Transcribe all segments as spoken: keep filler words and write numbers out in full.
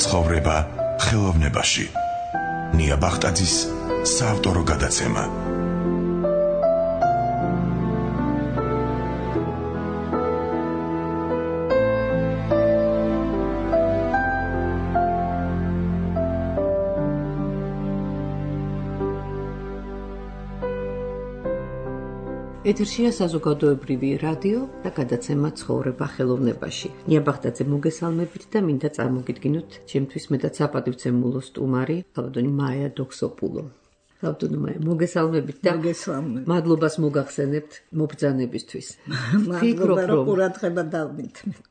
ცხოვრება ხელოვნებაში. ნია ბახტაძის საავტორო გადაცემა. ეთერშია საზოგადოებრივი რადიო და გადაცემა ცხოვრება ხელოვნებაში. ნია ბახტაძე მოგესალმებით და მინდა წარმოგიდგინოთ ჩემთვის მეტად საპატივცემულო სტუმარი, ქალბატონი მაია დოქსოპულო. ქალბატონი მაია, მოგესალმებით და მოგესალმებით. მადლობას მოგახსენებთ მობრძანებისთვის. მადლობა, რომ ყურადღება დავმითმეთ.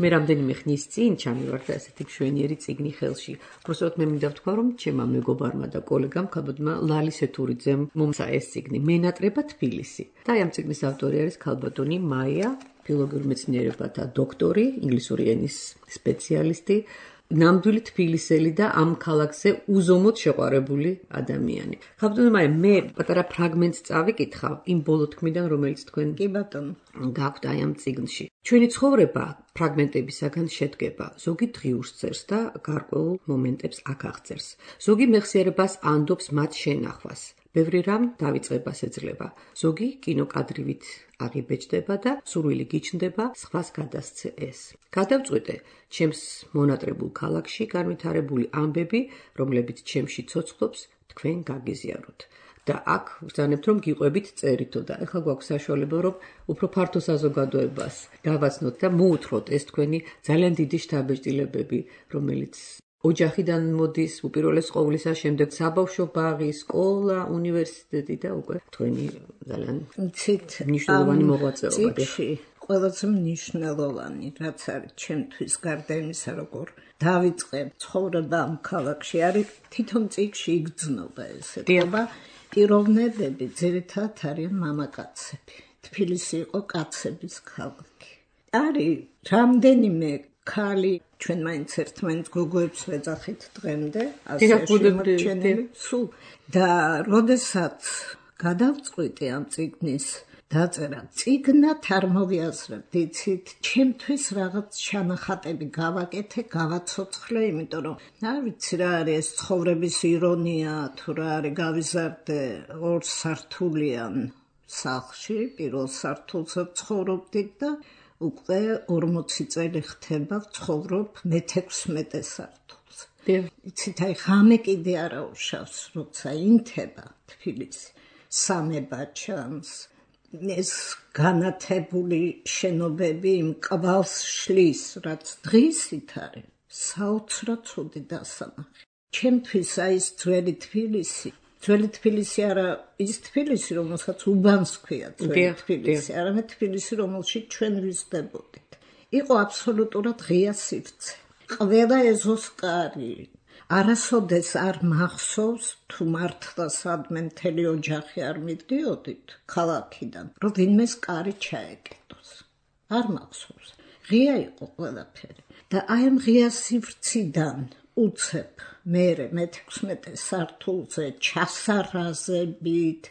მე რამდენიმე ხნის წინ ჩამივარდა ესეთი მშვენიერი წიგნი ხელში. უბრალოდ მე მინდა ვთქვა, რომ ჩემმა მეგობარმა და კოლეგამ ქალბატონმა ლალის ეთურიძემ მომცა ეს წიგნი მენატრება თბილისი. და ამ წიგნის ავტორი არის ქალბატონი მაია, ფილოლოგიურ მეცნიერებათა დოქტორი, ინგლისური ენის სპეციალისტი, ნამდვილი თბილისელი და ამ ქალაქზე უზომოდ შეყვარებული ადამიანი. ქალბატონი მაია, მე პატარა ფრაგმენტს წავიკითხავ იმ ბოლო თქმიდან, რომელიც თქვენ კი ბატონო გაქვთ აი ამ წიგნში. ჩვენი ცხოვრება ფრაგმენტებისაგან შედგება. ზოგი დღიურს წერს და გარკვეულ მომენტებს აქ აღწერს. ზოგი მეხსიერებას ანდობს მათ შენახვას. ბევრი რამ დავიწყებას ეძლევა. ზოგი კინოკადრივით აღიბეჭდება და სურვილი გიჩნდება სხვას გადასცე ეს. გადავწყვიტე ჩემს მონატრებულ ქალაქში განვითარებული ამბები, რომლებიც ჩემში ცოცხლობს, თქვენ გაგიზიაროთ. და აქ ვბრძანებთ, რომ გიყვებით წერითო და ეხლა გვაქვს საშუალება, რომ უფრო ფართო საზოგადოებას გავაცნოთ და მოუთხროთ ეს თქვენი ძალიან დიდი შთაბეჭდილებები, რომელიც ოჯახიდან მოდის, უპირველეს ყოვლისა, შემდეგ საბავშვო ბაღი, სკოლა, უნივერსიტეტი და უკვე თქვენი ძალიან მნიშვნელოვანი მოღვაწეობა. ყველაზე მნიშვნელოვანი, რაც არის ჩემთვის გარდა იმისა, როგორ დავიწყე ცხოვრება ამ ქალაქში, არის თვითონ წიგნში იგრძნობა ესეთობა. პიროვნებები ძირითადად არიან მამაკაცები. თბილისი იყო კაცების ქალაქი. არის რამდენიმე ქალი, ჩვენ მაინც ერთმანეთს გოგოებს ვეძახით დღემდე, ასეში სულ და როდესაც გადავწყვიტე ამ წიგნის დაწერა, წიგნად არ მოვიაზრებ, იცით, ჩემთვის რაღაც ჩანახატები გავაკეთე, გავაცოცხლე, იმიტომ რომ არ ვიცი რა არის ეს ცხოვრების ირონია, თუ რა არის, გავიზარდე ორ სართულიან სახლში, პირველ სართულზე ცხოვრობდით და უკვე ორმოცი წელი ხდება ვცხოვრობ მეთექვსმეტე სართულზე. იცით, აი ღამე კიდე არა უშავს, როცა ინთება თბილისი, სამება ჩანს. ეს განათებული შენობები იმ კვალს შლის, რაც დღისით არის, საოცრად ცუდი დასამახი. ჩემთვის აი ეს ძველი თბილისი, ძველი თბილისი არა ის თბილისი, რომელსაც უბანს ქვია ძველი თბილისი, არამედ თბილისი, რომელშიც ჩვენ ვიზრდებოდით. იყო აბსოლუტურად ღია სივრცე. ყველა ეზოს კარი. არასოდეს არ მახსოვს, თუ მართლა სადმე მთელი ოჯახი არ მიდიოდით ქალაქიდან, რომ ვინმეს კარი ჩაეკეტოს. არ მახსოვს. ღია იყო ყველაფერი. და აი ამ ღია სივრციდან უცებ მერე მეთექვსმეტე სართულზე ჩასარაზებით,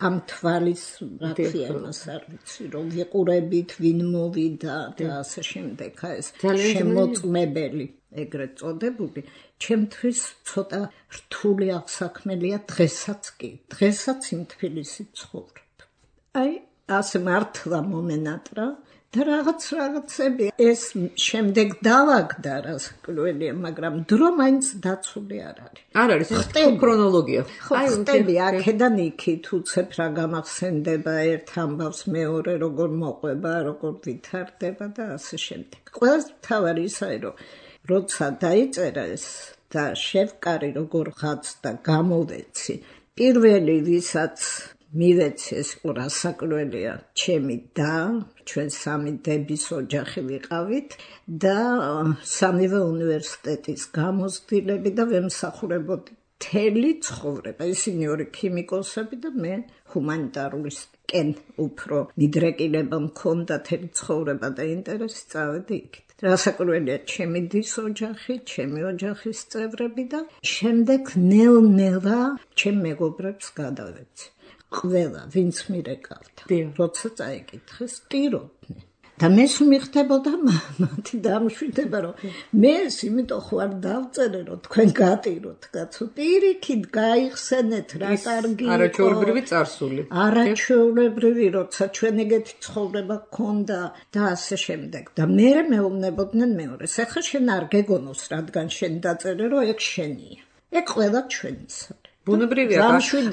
ამ თვალის რაფია იმას არ ვიცი, რომ ვიყურებით, ვინ მოვიდა და ასე შემდეგ, ეს შემოწმებელი ეგრეთ წოდებული, ჩემთვის ცოტა რთული აღსაქმელია დღესაც კი, დღესაც იმ თბილისით ცხოვრობ. აი, ასე მართლა მომენატრა და რაღაც რაღაცები ეს შემდეგ დავაგდა რასაკვირველია, მაგრამ დრო მაინც დაცული არ არის. არ არის ეს ქრონოლოგია. აი, ხტები აქედან იქით უცებ რა გამახსენდება ერთ ამბავს მეორე, როგორ მოყვება, როგორ ვითარდება და ასე შემდეგ. ყველას მთავარი ისაა, რომ როცა დაიწერა ეს და შევკარი როგორ ღაცდა გამოვეცი, პირველი ვისაც მივეცი ეს რასაკვირველია, ჩემი და ჩვენ სამი დების ოჯახი ვიყავით და სამივე უნივერსიტეტის გამოცდილები და ვემსახურებოდი მთელი ცხოვრება. ისინი ორი ქიმიკოსები და მე ჰუმანიტარისტკენ უფრო მიდრეკილება მქონდა მთელი ცხოვრება და ინტერესი წავედი იქით. რასაკვირველია, ჩემი დის ოჯახი, ჩემი ოჯახის წევრები და შემდეგ ნელ-ნელა ჩემ მეგობრებს გადავეცი. ყველა, ვინც მირეკავდა, როცა წაიკითხეს, ტიროდნენ. და მეს მიხდებოდა მათი დამშვიდება, რომ მე იმიტომ ხوار დავწერე, რომ თქვენ გატიროთ, კაცო, პირიქით გაიხსენეთ, რა კარგი იყო. არაჩვეულებრივი წარსული. არაჩვეულებრივი, როცა ჩვენ ეგეთი ცხოვრება გქონდა და ასე შემდეგ. და მე მეუბნებოდნენ მეორეს, ეხლა შენ არ გეგონოს, რადგან შენ დაწერე, რომ ეგ შენია. ეგ ყველა ჩვენისა. ბუნებრივია,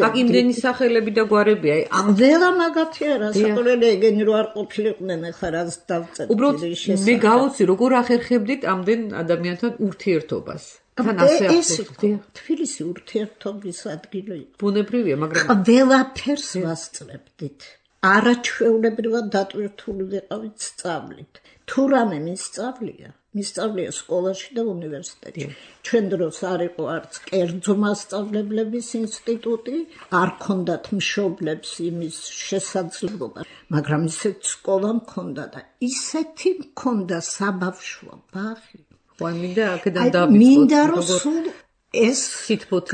აქ იმდენი სახელები და გვარებია. ამ ველა მაგათი არა, საყურელი ეგენი რო არ ყოფილიყვნენ, ახლა რაც დავწერე. უბრალოდ მე გავოცი, როგორ ახერხებდით ამდენ ადამიანთან ურთიერთობას. თან ასე ახერხებთ. თბილისი ურთიერთობის ადგილი იყო. ბუნებრივია, მაგრამ ყველაფერს ვასწრებდით. არაჩვეულებრივად დატვირთული ვიყავით სწავლით. თუ რამე მისწავლია, მისწავლია სკოლაში და უნივერსიტეტში. ჩვენ დროს არ იყო არც კერძო მასწავლებლების ინსტიტუტი, არ ქონდათ მშობლებს იმის შესაძლებლობა, მაგრამ ისეთ სკოლა მქონდა და ისეთი მქონდა საბავშვო ბაღი. მინდა აქედან დავიწყოთ. მინდა რომ სულ ეს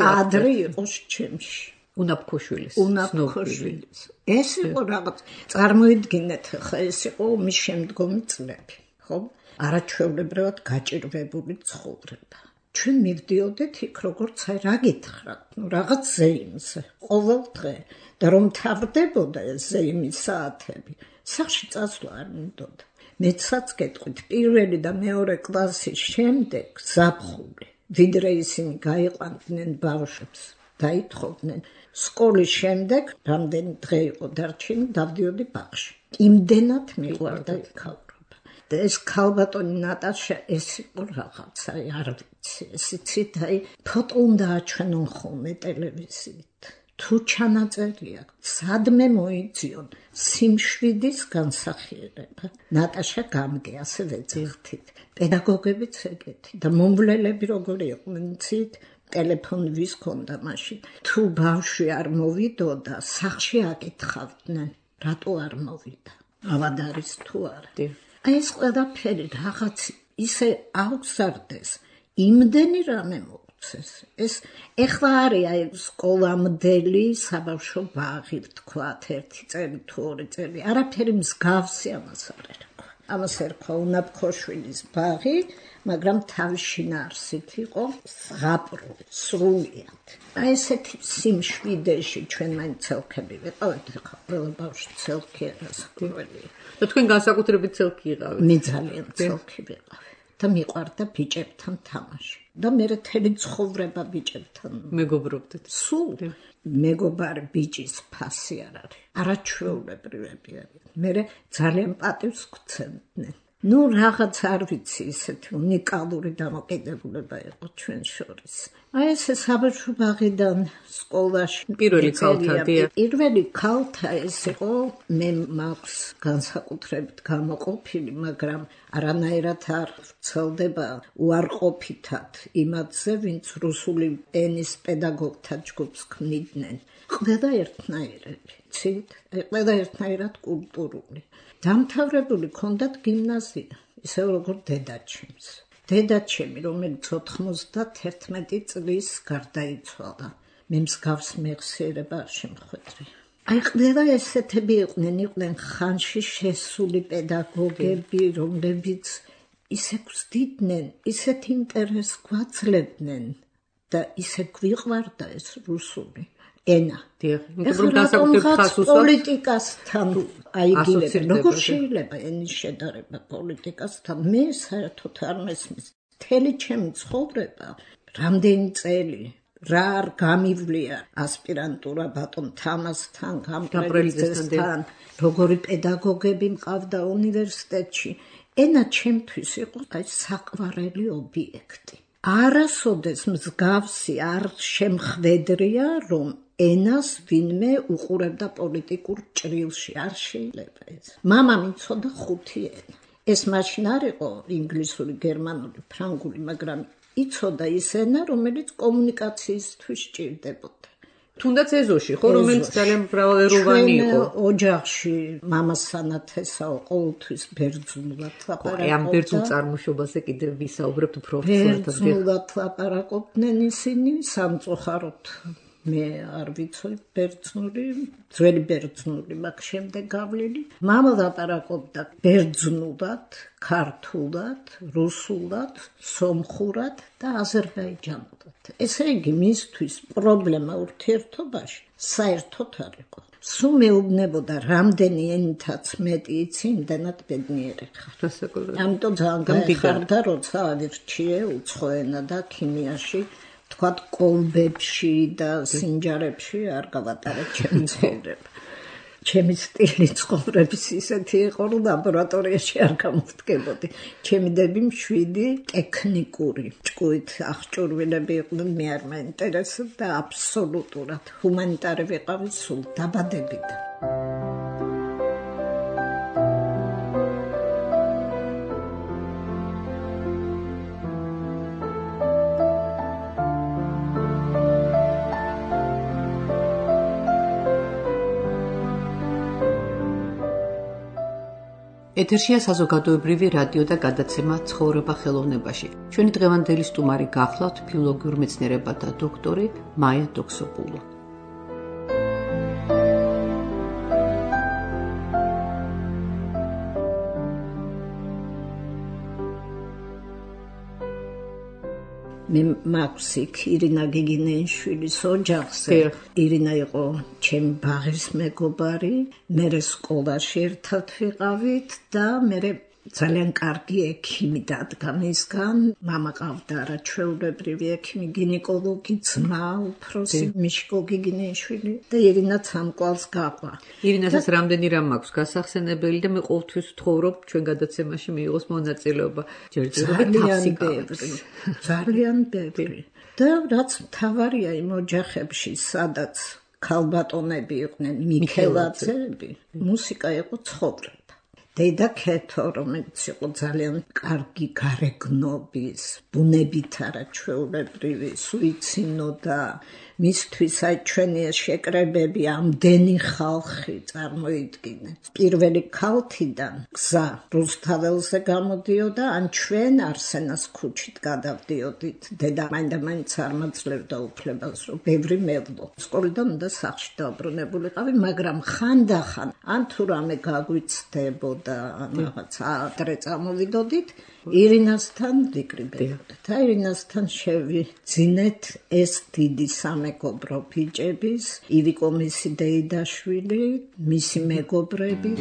კადრი იყოს ჩემში. უნაფქოშვილის, უნაფქოშვილის. ეს იყო რაღაც, წარმოიდგინეთ, ხა ეს იყო ომის შემდგომი წლები, ხო? არაჩვეულებრივად გაჭირვებული ცხოვრება. ჩვენ მივდიოდეთ იქ როგორც აი რა გითხრათ, ნუ რაღაც ზეიმზე, ყოველ დღე და რომ თავდებოდა ეს ზეიმის საათები, სახში წასვლა არ მინდოდა. მეცაც გეტყვით, პირველი და მეორე კლასის შემდეგ ზაფხული, ვიდრე ისინი გაიყვანდნენ ბავშვებს, დაითხოვდნენ. სკოლის შემდეგ, რამდენი დღე იყო დარჩენი, დავდიოდი ბაღში. იმდენად მიყვარდა იქავრობა. და ეს ქალბატონი ნატაშა, ეს იყო რაღაცა, არ ვიცი, ეს იცით, აი, ფოტო უნდა აჩვენონ ხოლმე ტელევიზიით. თუ ჩანაწერია, სადმე მოიძიონ სიმშვიდის განსახიერება. ნატაშა გამგე, ასე ვეძახთით. პედაგოგებიც ეგეთი და მომვლელები როგორი იყვნენ, იცით, ტელეფონი ვის ქონდა მაშინ. თუ ბავშვი არ მოვიდოდა, სახში აკითხავდნენ, რატო არ მოვიდა. ავად არის თუ არა. აი ეს ყველაფერი რაღაც ისე აღზარდეს, იმდენი რამე მოუწეს. ეს ეხლა არის აი სკოლამდელი საბავშვო ბაღი, ვთქვათ, ერთი წელი თუ ორი წელი. არაფერი მსგავსი ამას არ ერქვა. ამას ერქვა უნაფქოშვილის ბაღი, მაგრამ თავის შინაარსით იყო ზღაპრო, სრულიად. აი ესეთი სიმშვიდეში ჩვენ მაინც ცელქები ვიყავით, ხა ყველა ბავშვი ცელქი არა საქმეა. და თქვენ განსაკუთრებით ცელქი იყავით? მე ძალიან ცელქი ვიყავი და მიყვარდა ბიჭებთან თამაში. და მე მთელი ცხოვრება ბიჭებთან მეგობრობდით. სულ მეგობარი ბიჭის ფასი არ არის. არაჩვეულებრივები არიან. მე ძალიან პატივს გვცემდნენ. ნუ რაღაც არ ვიცი, ისეთი უნიკალური დამოკიდებულება იყო ჩვენ შორის. აი ესე საბავშვო ბაღიდან სკოლაში პირველი ქალთა, პირველი ქალთა ეს იყო, მე მაქვს განსაკუთრებით გამოყოფილი, მაგრამ არანაირად არ ვრცელდება უარყოფითად იმათზე, ვინც რუსული ენის პედაგოგთა ჯგუფს ქმნიდნენ. ყველა ერთნაირები, ცით, ყველა ერთნაირად კულტურული. დამთავრებული ქონდათ გიმნაზია, ისევ როგორ დედაჩემს. დედაჩემი, რომელიც ოთხმოცდათერთმეტი წლის გარდაიცვალა, მე მსგავს მეხსიერება არ შემხვედრი. აი ყველა ესეთები იყვნენ, იყვნენ ხანში შესული პედაგოგები, რომლებიც ისე გვსდიდნენ, ისეთ ინტერესს გვაძლევდნენ და ისე გვიყვარდა ეს რუსული ენა. პოლიტიკასთან აიგივებენ. როგორ შეიძლება ენის შედარება პოლიტიკასთან? მე საერთოდ არ მესმის. მთელი ჩემი ცხოვრება, რამდენი წელი, რა არ გამივლია ასპირანტურა ბატონ თამასთან, გამბრელიძესთან, როგორი პედაგოგები მყავდა უნივერსიტეტში. ენა ჩემთვის იყო აი საყვარელი ობიექტი. არასოდეს მსგავსი არ შემხვედრია, რომ ენას ვინმე უყურებდა პოლიტიკურ ჭრილში, არ შეიძლება ეს. მამამ იცოდა ხუთი ენა. ეს მაშინ არ იყო ინგლისური, გერმანული, ფრანგული, მაგრამ იცოდა ის ენა, რომელიც კომუნიკაციისთვის სჭირდებოდა. თუნდაც ეზოში, ხო, რომელიც ძალიან მრავალეროვანი იყო. ოჯახში მამას სანათესაო ყოველთვის ბერძნულად ლაპარაკობდა. ამ ბერძნულ წარმოშობაზე კიდევ ვისაუბრებთ უფრო ხშირად. ბერძნულად ლაპარაკობდნენ ისინი, სამწუხაროდ მე არ ვიცოდი ბერძნული, ძველი ბერძნული, მაგ შემდეგ გავლილი. მამა ლაპარაკობდა ბერძნულად, ქართულად, რუსულად, სომხურად და აზერბაიჯანულად. ესე იგი, მისთვის პრობლემა ურთიერთობაში საერთოდ არ იყო. სულ მეუბნებოდა, რამდენი ენითაც მეტი იცი, იმდენად ბედნიერი ხარ. ამიტომ ძალიან გაეხარდა, როცა ავირჩიე უცხო ენა და ქიმიაში, თქვათ კოლბებში და სინჯარებში არ გავატარებ ჩემი ცხოვრება. ჩემი სტილი ცხოვრების ისეთი იყო, რომ ლაბორატორიაში არ გამოვდგებოდი. ჩემი დები მშვიდი ტექნიკური ჭკუით აღჭურვილები იყვნენ, მე არ მაინტერესებდა და აბსოლუტურად ჰუმანიტარი ვიყავი სულ დაბადებიდან. ეთერშია საზოგადოებრივი რადიო და გადაცემა ცხოვრება ხელოვნებაში. ჩვენი დღევანდელი სტუმარი გახლავთ ფილოლოგიურ მეცნიერებათა დოქტორი მაია დოქსოპულუ. მე მაქვს იქ ირინა გიგინეიშვილის ოჯახზე. ირინა იყო ჩემი ბაღის მეგობარი, მე სკოლაში ერთად ვიყავით და მე ძალიან კარგი ექიმი დადგა მისგან. მამა ყავდა არაჩვეულებრივი ექიმი, გინეკოლოგი, ძმა უფროსი მიშკო გიგინეიშვილი და ირინაც ამ კვალს გაყვა. ირინასაც რამდენი რამ აქვს გასახსენებელი და მე ყოველთვის ვთხოვრობ ჩვენ გადაცემაში მიიღოს მონაწილეობა. ჯერჯერობით თავს იკავებს. ძალიან ბევრი. და რაც მთავარია იმ ოჯახებში, სადაც ქალბატონები იყვნენ, მიქელაძეები, მუსიკა იყო ცხოვრება. დედა ქეთო, რომელიც იყო ძალიან კარგი გარეგნობის, ბუნებით არაჩვეულებრივი, სუიცინო და მისთვის აი ჩვენი შეკრებები ამდენი ხალხი წარმოიდგინეთ. პირველი ქალთიდან გზა რუსთაველზე გამოდიოდა, ან ჩვენ არსენას ქუჩით გადავდიოდით. დედა მაინდა-მაინც არ მაძლევდა უფლებას, რომ ბევრი მევლო. სკოლიდან უნდა სახლში დაუბრუნებულიყავი, მაგრამ ხანდახან ან თუ რამე გაგვიცდებოდა და რაღაც ადრე წამოვიდოდით, ირინასთან ვიკრიბებოდით. და ირინასთან შევიძინეთ ეს დიდი სამეგობრო ბიჭების, ივიკო მისი დეიდაშვილი, მისი მეგობრები.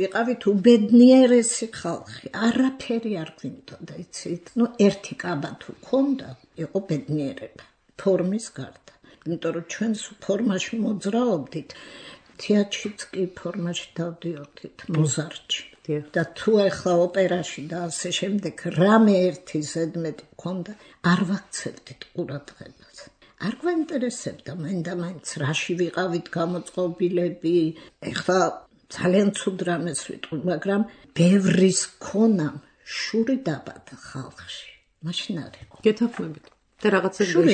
ვიყავით უბედნიერესი ხალხი, არაფერი არ გვინდოდა, იცით? ნუ ერთი კაბა თუ ქონდა, იყო ბედნიერება, ფორმის გარდა. იმიტომ რომ ჩვენ ფორმაში მოძრაობდით, თეატრშიც კი ფორმაში დავდიოდით, მოზარდში. და თუ ახლა ოპერაში და ასე შემდეგ რამე ერთი ზედმეტი ქონდა, არ ვაქცევდით ყურადღებას. არ გვაინტერესებდა მაინდა-მაინც რაში ვიყავით გამოწყობილები, ეხლა ძალიან ცუდ რამეს ვიტყვი, მაგრამ ბევრის ქონამ შური დაბადა ხალხში. მაშინ არ იყო. გეთანხმებით. და რაღაცები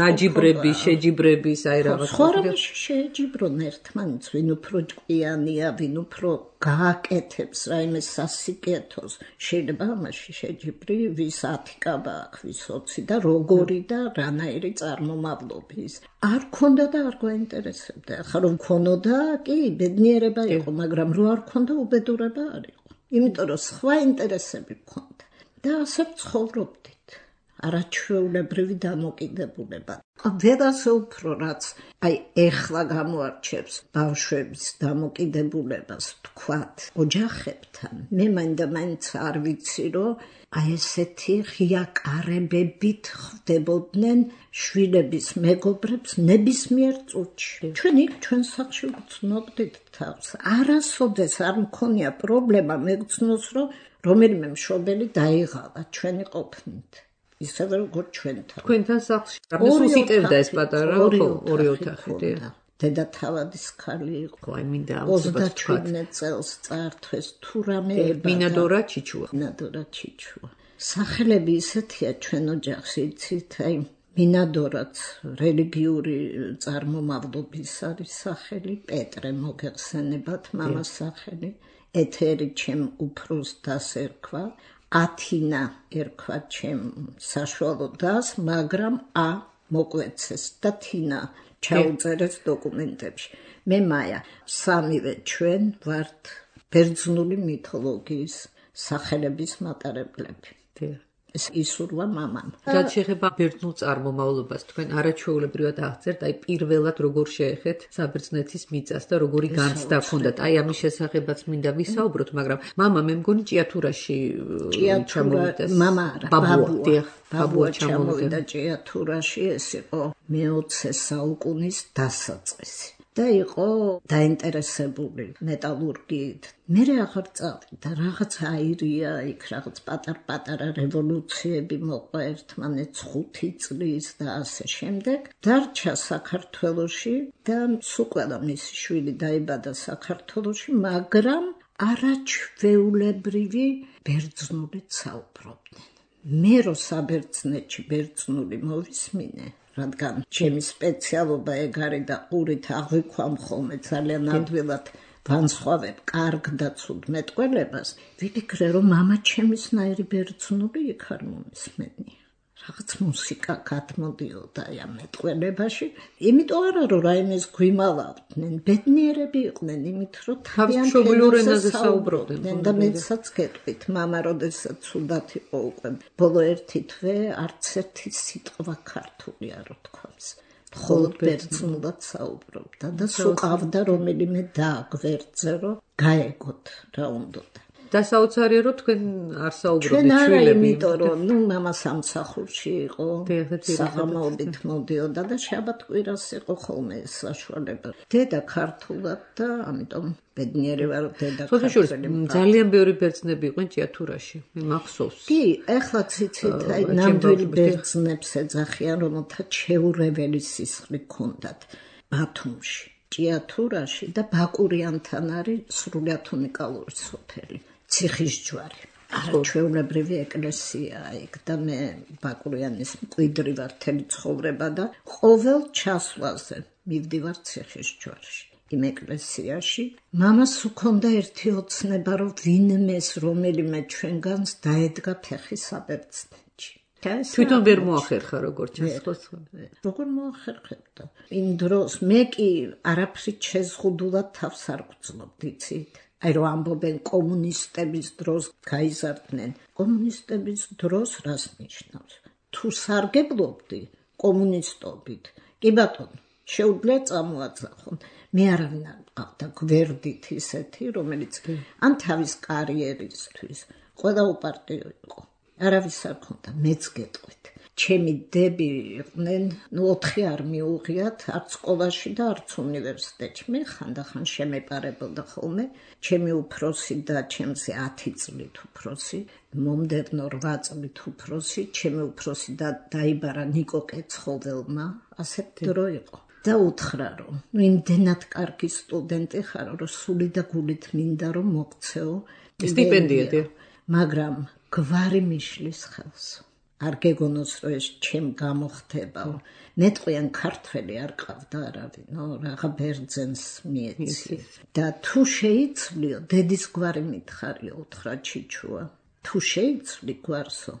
გაჯიბრები, შეჯიბრების, აი რაღაცა. ხო, რამეში შეეჯიბრონ ერთმანეთს, ვინ უფრო ჭკვიანია, ვინ უფრო გააკეთებს რაიმე სასიკეთოს. შეიძლება ამაში შეჯიბრი, ვის ათი კაბა აქვს, ვის ოცი და როგორი და რანაირი წარმომავლობის. არ ქონდა და არ გვაინტერესებდა. ახლა რომ ქონოდა, კი, ბედნიერება იყო, მაგრამ რო არ ქონდა, უბედურება არ იყო. იმიტომ რომ სხვა ინტერესები ქონდა. და ასე ცხოვრობდით. არაჩვეულებრივი დამოკიდებულება. ვერასე უფრო რაც აი ეხლა გამოარჩევს ბავშვების დამოკიდებულებას თქვათ ოჯახებთან. მე მაინდა მაინც არ ვიცი რომ აი ესეთი ღია კარებებით ხვდებოდნენ შვილების მეგობრებს ნებისმიერ წუთში. ჩვენ იქ ჩვენ სახლში ვგრძნობდით თავს. არასოდეს არ მქონია პრობლემა მეგრძნოს რომ რომელიმე მშობელი დაიღალა ჩვენი ყოფნით. ისე როგორც ჩვენთან. თქვენთან სახლში რამეს იტევდა ეს პატარა ორი ოთახი. დედა თავადის ქალი იყო. აი მინდა ოცდაშვიდმეტ წელს წაართვეს თუ რამე მინადორა ჩიჩუა. მინადორა ჩიჩუა. სახელები ისეთია ჩვენ ოჯახში, იცით, აი მინადორაც რელიგიური წარმომავლობის არის სახელი, პეტრე მოგეხსენებათ მამას სახელი, ეთერი ჩემ უფროს დას ერქვა. ათინა ერქვა ჩემ საშუალო დას, მაგრამ ა მოკვეცეს და თინა ჩაუწერეს დოკუმენტებში. მე მაია, სამივე ჩვენ ვართ ბერძნული მითოლოგიის სახელების მატარებლები. ეს ისურვა მამამ. რაც შეეხება ბერძნულ წარმომავლობას, თქვენ არაჩვეულებრივად აღწერთ, აი პირველად როგორ შეეხეთ საბერძნეთის მიწას და როგორი განცდა ჰქონდათ. აი ამის შესახებაც მინდა ვისაუბროთ, მაგრამ მამა მე მგონი ჭიათურაში ჩამოვიდა. მამა არა, ბაბუა. ბაბუა ჩამოვიდა ჭიათურაში, ეს იყო მეოცე საუკუნის დასაწყისი. და იყო დაინტერესებული მეტალურგიით. მე აღარ წავიდა, რაღაც აირია, იქ რაღაც პატარ-პატარა რევოლუციები მოყვა ერთმანეთს ხუთი წლის და ასე შემდეგ. დარჩა საქართველოში და სულ მისი შვილი დაიბადა საქართველოში, მაგრამ არაჩვეულებრივი ბერძნულით საუბრობდნენ. მე რო საბერძნეთში ბერძნული მოვისმინე, რადგან ჩემი სპეციალობა ეგ არის და ყურით აღვიქვამ ხოლმე ძალიან ადვილად ვანსხვავებ კარგ და ცუდ მეტყველებას, ვიფიქრე რომ მამა ჩემისნაირი ბერძნული იქ არ მომისმენია. რაღაც მუსიკა გადმოდიოდა ამ მეტყველებაში, იმიტომ არა რომ რაიმეს გვიმალავდნენ, ბედნიერები იყვნენ, იმით რომ თავის მშობლიურ ენაზე საუბრობდნენ. და მეცაც გეტყვით, მამა როდესაც ცუდად იყო უკვე ბოლო ერთი თვე არც ერთი სიტყვა ქართული არ თქვავს. მხოლოდ ბერძნულად საუბრობდა და სულ ყავდა რომელიმე და გვერდზე რომ გაეგოთ რა უნდოდა. და საოცარია რომ თქვენ არ საუბრობთ შვილები. ჩვენ არა, შვილები. იმიტომ რომ ნუ მამა სამსახურში იყო, საღამოობით მოდიოდა და შაბათ-კვირას იყო ხოლმე საშუალება. დედა ქართულად და ამიტომ ბედნიერი ვარ რომ დედა ქართული. ძალიან ბევრი ბერძნები იყვნენ ჭიათურაში. მე მახსოვს. კი, ეხლაც იცით, აი ნამდვილი ბერძნებს ეძახიან, რომელთა ჩეურეველი სისხლი ჰქონდათ ბათუმში, ჭიათურაში და ბაკურიანთან არის სრულიად უნიკალური სოფელი. ციხისჯვარი. არაჩვეულებრივი ეკლესიაა იქ და მე ბაკურიანის მკვიდრი ვარ მთელი ცხოვრება და ყოველ ჩასვლაზე მივდივარ ციხისჯვარში. იმ ეკლესიაში მამას უქონდა ერთი ოცნება რომ ვინმეს რომელიმე ჩვენგანს დაედგა ფეხი საბერძნეთში. თვითონ ვერ მოახერხა როგორც ჩასხოს. როგორ მოახერხებდა? იმ დროს მე კი არაფრით შეზღუდულად თავს არ გვწნობდი, იცით? აი რომ ამბობენ კომუნისტების დროს გაიზარდნენ. კომუნისტების დროს რას ნიშნავს? თუ სარგებლობდი კომუნისტობით, კი ბატონო, შეუძლია წამოაძახონ. მე არავინ არ მყავდა გვერდით ისეთი, რომელიც ან თავის კარიერისთვის ყველა უპარტიო იყო. არავის არ ქონდა, მეც გეტყვით. ჩემი დები იყვნენ, ნუ ოთხი არ მიუღიათ, არც სკოლაში და არც უნივერსიტეტში. მე ხანდახან შემეპარებოდა ხოლმე, ჩემი უფროსი და ჩემზე ათი წლით უფროსი, მომდევნო რვა წლით უფროსი, ჩემი უფროსი და დაიბარა ნიკო კეცხოველმა, ასეთ დრო იყო. და უთხრა რომ, ნუ იმდენად კარგი სტუდენტი ხარ, რომ სული და გულით მინდა რომ მოგცეო სტიპენდია, მაგრამ გვარი მიშლის ხელს. არ გეგონოს რომ ეს ჩემ გამოხდებაო. მეტყვიან ქართველი არ ყავდა არავინ, ნო რაღა ბერძენს მიეცი. და თუ შეიცვლიო, დედის გვარი მითხარიო, უთხრა ჩიჩუა. თუ შეიცვლი გვარსო,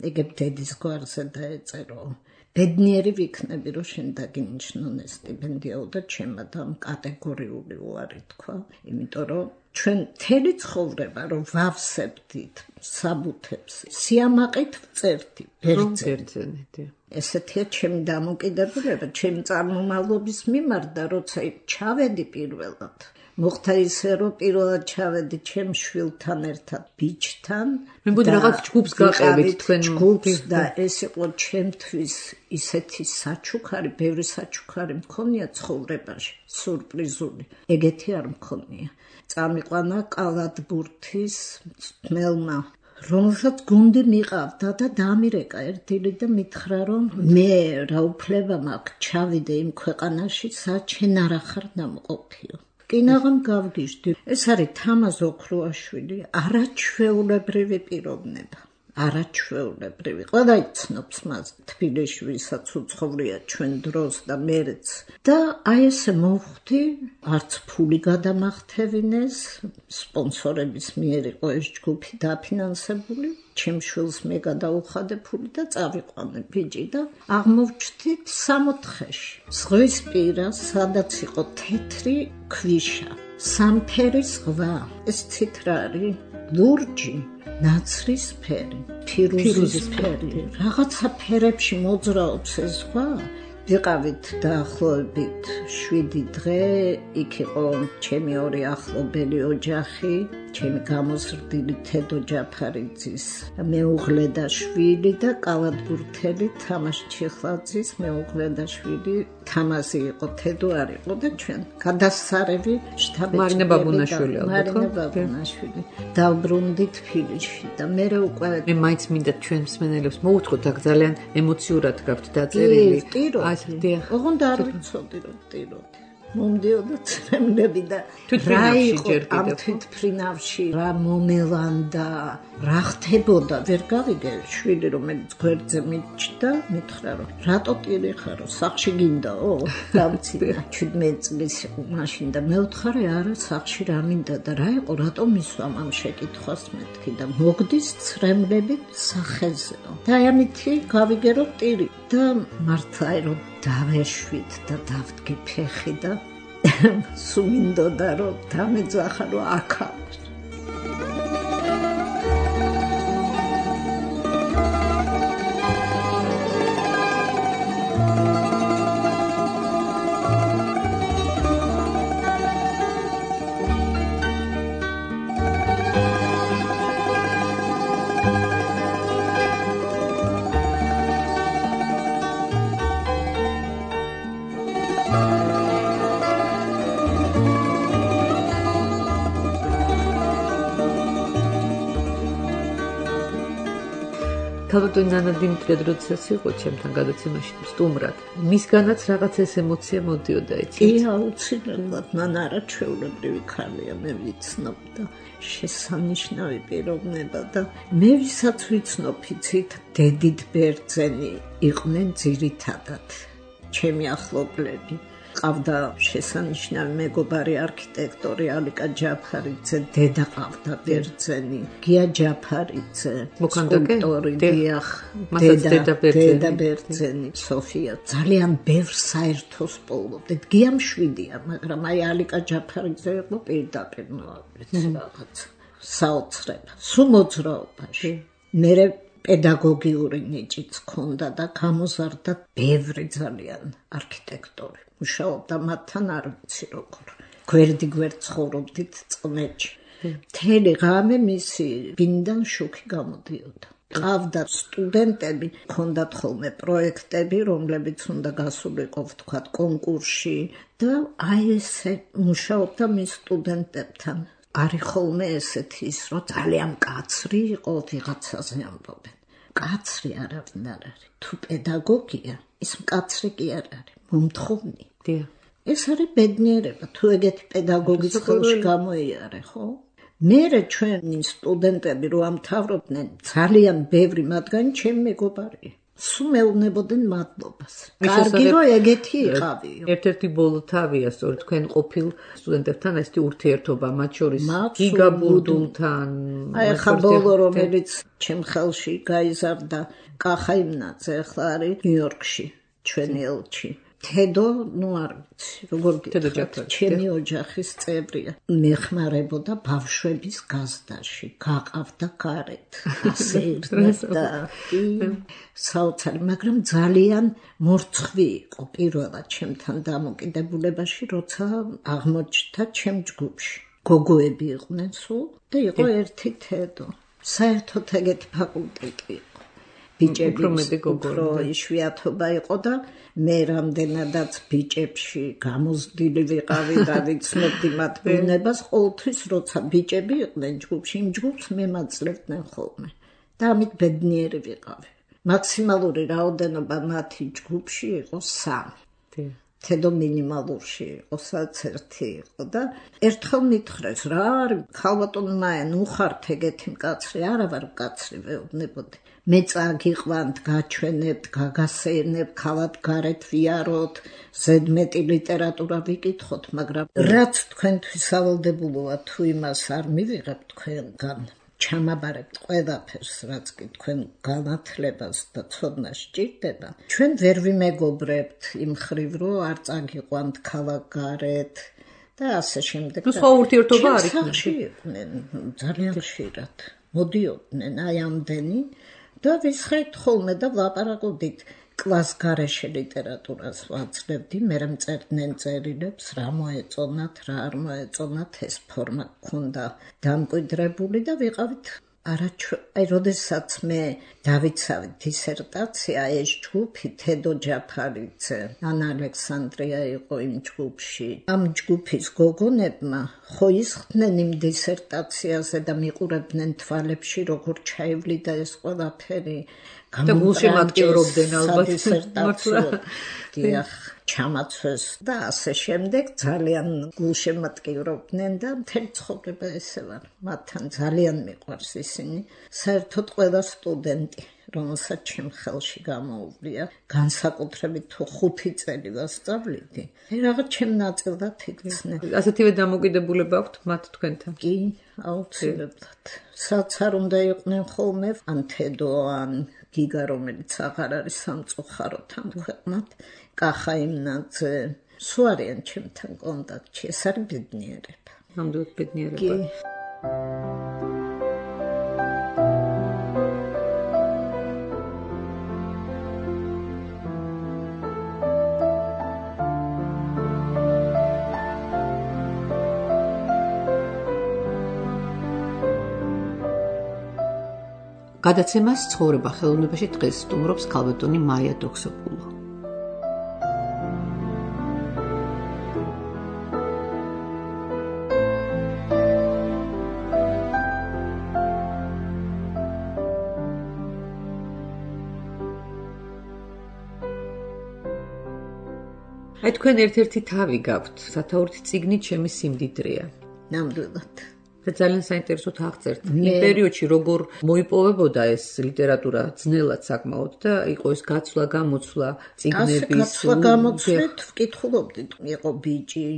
ეგებ დედის გვარზე დაეწერო. ბედნიერი ვიქნები რომ შენ დაგინიშნონ ეს სტიპენდიაო და ჩემადამ კატეგორიული უარი თქვა, იმიტომ რომ ჩვენ მთელი ცხოვრება რომ ვავსებდით საბუთებს, სიამაყით ვწერდი ბერძენი. ესეთია ჩემი დამოკიდებულება, ჩემი წარმომავლობის მიმართ და როცა ჩავედი პირველად. მოხდა ისე რომ პირველად ჩავედი ჩემ შვილთან ერთად ბიჭთან. მე მგონი რაღაც ჯგუფს გაყევით თქვენ ჯგუფს და ეს იყო ჩემთვის ისეთი საჩუქარი, ბევრი საჩუქარი მქონია ცხოვრებაში, სურპრიზული. ეგეთი არ მქონია. წამიყვანა კალათბურთის ძმელმა, რომელსაც გუნდი მიყავდა და დამირეკა ერთილი და მითხრა რომ მე რა უფლება მაქვს ჩავიდე იმ ქვეყანაში, სადაც შენ არ ახარ დამყოფიო. კინაღამ გავგიჟდი. ეს არის თამაზ ოქროაშვილი, არაჩვეულებრივი პიროვნება. არაჩვეულებრივი. ყველა იცნობს მას თბილისში, ვისაც უცხოვრია ჩვენ დროს და მერეც. და აი ესე მოვხვდი, არც ფული გადამახთევინეს, სპონსორების მიერ იყო ეს ჯგუფი დაფინანსებული. ჩემ შვილს მე გადაუხადე ფული და წავიყვანე ბიჭი და აღმოვჩნდით სამოთხეში. ზღვის პირას, სადაც იყო თეთრი ქვიშა, სამფერი ზღვა. ეს ცითრა არის ლურჯი, ნაცრისფერი, ფირუზისფერი. რაღაცა ფერებში მოძრაობს ეს ზღვა. ვიყავით დაახლოებით შვიდი დღე, იქ იყო ჩემი ორი ახლობელი ოჯახი, ჩემი გამოზრდილი თედო ჯაფარიძის მეუღლე და შვილი და კალათბურთელი თამაშ ჩიხლაძის მეუღლე და შვილი. თამაზი იყო, თედო არ იყო და ჩვენ გადასარევი შტაბში. მარინა ბაბუნაშვილი ალბათ, ხო? მარინა ბაბუნაშვილი. დავბრუნდით თბილისში და მე უკვე მე მაინც მინდა ჩვენ მსმენელებს მოუთხოთ, აქ ძალიან ემოციურად გაქვთ დაწერილი. ოღონდ არ ვიცოდი რომ ვტიროდი. მომდიოდა წრემლები და რა იყო ამ თვითფრინავში, რა მომელანდა, რა ხდებოდა, ვერ გავიგე. შვილი რომელიც გვერდზე მიჩნდა, მითხრა რომ რატო ტირი ხარო, სახლში გინდაო? დამცინა ჩვიდმეტ წლის იყო მაშინ და მე ვთხარი არა, სახლში რა მინდა და რა იყო, რატო მისვამ ამ შეკითხვას მეთქი და მოგდის წრემლები სახეზეო. და ამითი გავიგე რომ ტირი და მართლა რომ დავეშვით და დავდგი ფეხი და სულ მინდოდა რომ დამეძახა რომ აქ თავდადო ნანა დიმიტრიად როდესაც იყო ჩემთან გადაცემაში სტუმრად, მისგანაც რაღაც ეს ემოცია მოდიოდა, იცით? კი, აუცილებლად, მან არაჩვეულებრივი ქალია, მე ვიცნობ და შესანიშნავი პიროვნება და მე ვისაც ვიცნობ, იცით, დედით ბერძენი იყვნენ ძირითადად ჩემი ახლობლები. ყავდა შესანიშნავი მეგობარი არქიტექტორი ალიკა ჯაფარიძე, დედა ყავდა ბერძენი, გია ჯაფარიძე, სკულპტორი, დიახ, დედა ბერძენი, სოფია. ძალიან ბევრ საერთოს პოულობდით. გია მშვიდია, მაგრამ აი ალიკა ჯაფარიძე იყო პირდაპირ რაღაც საოცრება, სულ მოძრაობაში. მერე პედაგოგიური ნიჭიც ჰქონდა და გამოზარდა ბევრი ძალიან არქიტექტორი. მუშაობდა მათთან არ ვიცი როგორ. გვერდი გვერდ ცხოვრობდით წყნეთში. მთელი ღამე მისი ბინიდან შუქი გამოდიოდა. ყავდა სტუდენტები, ჰქონდათ ხოლმე პროექტები, რომლებიც უნდა გასულიყო ვთქვათ კონკურსში და აი ესე მუშაობდა მის სტუდენტებთან. არის ხოლმე ესეთი ის, რომ ძალიან კაცრი იყო, ვიღაცაზე ამბობენ. კაცრი არავინ არ არის. თუ პედაგოგია, ის მკაცრი კი არ არის, მომთხოვნი. ეს არის ბედნიერება, თუ ეგეთი პედაგოგის ხელში გამოიარე, ხო? მერე ჩვენი სტუდენტები რო ამთავრობდნენ, ძალიან ბევრი მათგანი ჩემი მეგობარია. სულ მეუბნებოდნენ მადლობას. კარგი რომ ეგეთი იყავიო. ერთ-ერთი ბოლო თავია, სწორედ თქვენ ყოფილ სტუდენტებთან ესეთი ურთიერთობა, მათ შორის გიგა ბურდულთან. აი ახლა ბოლო რომელიც ჩემ ხელში გაიზარდა კახაიმნაძე, ახლა არის ნიუ-იორკში, ჩვენი ელჩი. თედო, ნუ არ ვიცი, როგორ გითხრათ, ჩემი ოჯახის წევრია. მეხმარებოდა ბავშვების გაზდაში, გაყავდა გარეთ, ასე ირთმევდა. საოცარი, მაგრამ ძალიან მორცხვი იყო პირველად ჩემთან დამოკიდებულებაში, როცა აღმოჩნდა ჩემ ჯგუფში. გოგოები იყვნენ სულ და იყო ერთი თედო. საერთოდ ეგეთი ფაკულტეტი იყო. ბიჭების უფრო იშვიათობა იყო და მე რამდენადაც ბიჭებში გამოზრდილი ვიყავი და ვიცნობდი მათ ბუნებას, ყოველთვის როცა ბიჭები იყვნენ ჯგუფში, იმ ჯგუფს მემაძლებდნენ ხოლმე და ამით ბედნიერი ვიყავი. მაქსიმალური რაოდენობა მათი ჯგუფში იყო სამი. თედო მინიმალურში იყო, სადაც ერთი იყო და ერთხელ მითხრეს, რა არის ქალბატონო მაია, ნუ ხართ ეგეთი მკაცრი, არა ვარ მკაცრი, ვეუბნებოდი. მე წაგიყვანთ, გაჩვენებთ, გაგასეირნებთ, ქალად გარეთ ვიაროთ, ზედმეტი ლიტერატურა ვიკითხოთ, მაგრამ რაც თქვენთვის ავალდებულოა, თუ იმას არ მივიღებთ თქვენგან, ჩამაბარებთ ყველაფერს, რაც კი თქვენ განათლებას და ცოდნას სჭირდება, ჩვენ ვერ ვიმეგობრებთ იმ ხრივ, რომ არ წაგიყვანთ ქალად გარეთ და ასე შემდეგ. ნუ სხვა ურთიერთობა არ იყვნენ, ძალიან ხშირად მოდიოდნენ აი ამდენი და ვისხეთ ხოლმე და ვლაპარაკობდით. კლას გარეშე ლიტერატურას ვაძლევდი, მერე მწერდნენ წერილებს, რა მოეწონათ, რა არ მოეწონათ, ეს ფორმა გქონდა დამკვიდრებული და ვიყავით არაჩვ... აი, როდესაც მე დავიცავით დისერტაცია, ეს ჯგუფი, თედო ჯაფარიძე, ანა ალექსანდრია იყო იმ ჯგუფში. ამ ჯგუფის გოგონებმა ხო ისხდნენ იმ დისერტაციაზე და მიყურებდნენ თვალებში, როგორ ჩაივლიდა ეს ყველაფერი. და გულშემ აქტიურობდნენ ალბათ დისერტაციო. დიახ, ჩამაცვეს და ასე შემდეგ ძალიან გულშემატკივრობდნენ და მთელი ცხოვრება ესე ვარ. მათთან ძალიან მიყვარს ისინი. საერთოდ ყველა სტუდენტი, რომელსაც ჩემ ხელში გამოუვლია, განსაკუთრებით თუ ხუთი წელი ვასწავლიდი, რაღაც ჩემ ნაწილად იქცნენ. ასეთივე დამოკიდებულება აქვთ მათ თქვენთან? კი, აუცილებლად. სადაც არ უნდა იყვნენ ხოლმე, ან თედო, ან გიგა, რომელიც აღარ არის სამწუხაროდ ამ ქვეყნად, კახა იმნაძე, სულ არიან ჩემთან კონტაქტში, ეს არის ბედნიერება. ნამდვილად ბედნიერება. კი. გადაცემას ცხოვრება ხელოვნებაში დღეს სტუმრობს ქალბატონი მაია დოქსოპულო. აი თქვენ ერთ-ერთი თავი გაქვთ, სათაურითი წიგნით ჩემი სიმდიდრეა. ნამდვილად. და ძალიან საინტერესოდ აღწერთ. იმ პერიოდში როგორ მოიპოვებოდა ეს ლიტერატურა ძნელად საკმაოდ და იყო ეს გაცვლა გამოცვლა წიგნების. ასე გაცვლა გამოცვლით ვკითხულობდით. იყო ბიჭი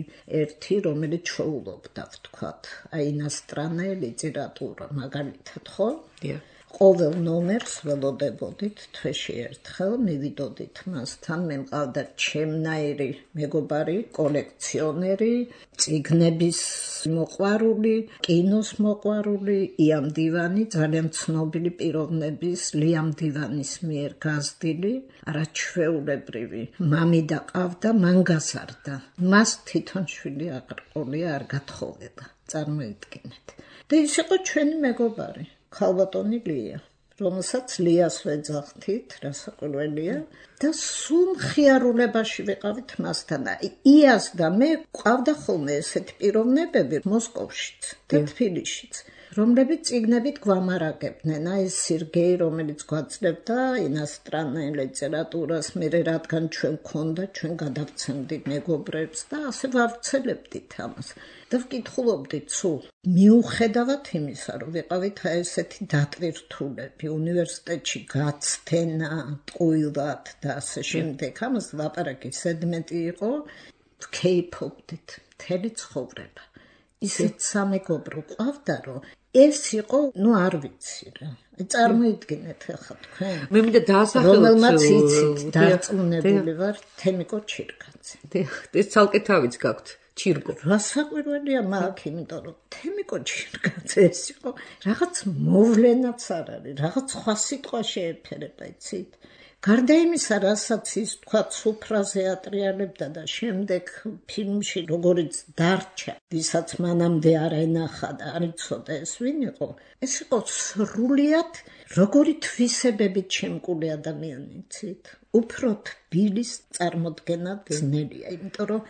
ერთი, რომელიც შოულობდა, ვთქვათ, აი ინასტრანე ლიტერატურა, მაგალითად, ხო? დიახ. ყოველ ნომერს ველოდებოდით თვეში ერთხელ, მივიდოდით მასთან, მე მყავდა ჩემნაირი მეგობარი, კოლექციონერი, წიგნების მოყვარული, კინოს მოყვარული, იამ დივანი, ძალიან ცნობილი პიროვნების, ლიამ დივანის მიერ გაზრდილი, არაჩვეულებრივი. მამიდა ყავდა, მან გაზარდა. მას თვითონ შვილი აღრყოლია, არ გათხოვება. წარმოიდგინეთ. და ის იყო ჩვენი მეგობარი. ქალბატონი ლია, რომელსაც ლიას ვეძახთით, რასაკვირველია, და სულ მხიარულებაში ვიყავით მასთან. იას და მე ყავდა ხოლმე ესეთი პიროვნებები მოსკოვშიც და თბილისშიც, რომლებიც წიგნებით გვამარაგებდნენ. აი ეს სერგეი, რომელიც გვაძლევდა ინასტრანე ლიტერატურას, მე რადგან ჩვენ გქონდა, ჩვენ გადავცემდით მეგობრებს და ასე ვავრცელებდით ამას. და ვკითხულობდით სულ. მიუხედავად იმისა, რომ ვიყავით აი ესეთი დატვირთულები, უნივერსიტეტში გაცდენა, ტყუილად და ასე შემდეგ, ამას ლაპარაკი ზედმეტი იყო, ვქეიფობდით მთელი ცხოვრება. ისეთ სამეგობრო ყავდა, რომ ეს იყო, ну არ ვიცი რა. წარმოიდგინეთ ახლა თქვენ. მე მინდა დაასახელოთ, რომელმაც იცით, დარწმუნებული ვარ, თემიკო ჩირგაძე. ეს ცალკე თავიც გაქვთ. ჩირგო. რა საყვირველია მაგ, იმიტომ რომ თემიკო ჩირგაძე ეს იყო რაღაც მოვლენაც არ არის, რაღაც სხვა სიტყვა შეეფერება, იცით? გარდა იმისა, რასაც ის თქვა სუფრაზე ატრიალებდა და შემდეგ ფილმში როგორიც დარჩა, ვისაც მანამდე არ ენახა და არ იცოდა ეს ვინ იყო, ეს იყო სრულიად როგორი თვისებებით შემკული ადამიანი, იცით? უფრო თბილის წარმოდგენა ძნელია, იმიტომ რომ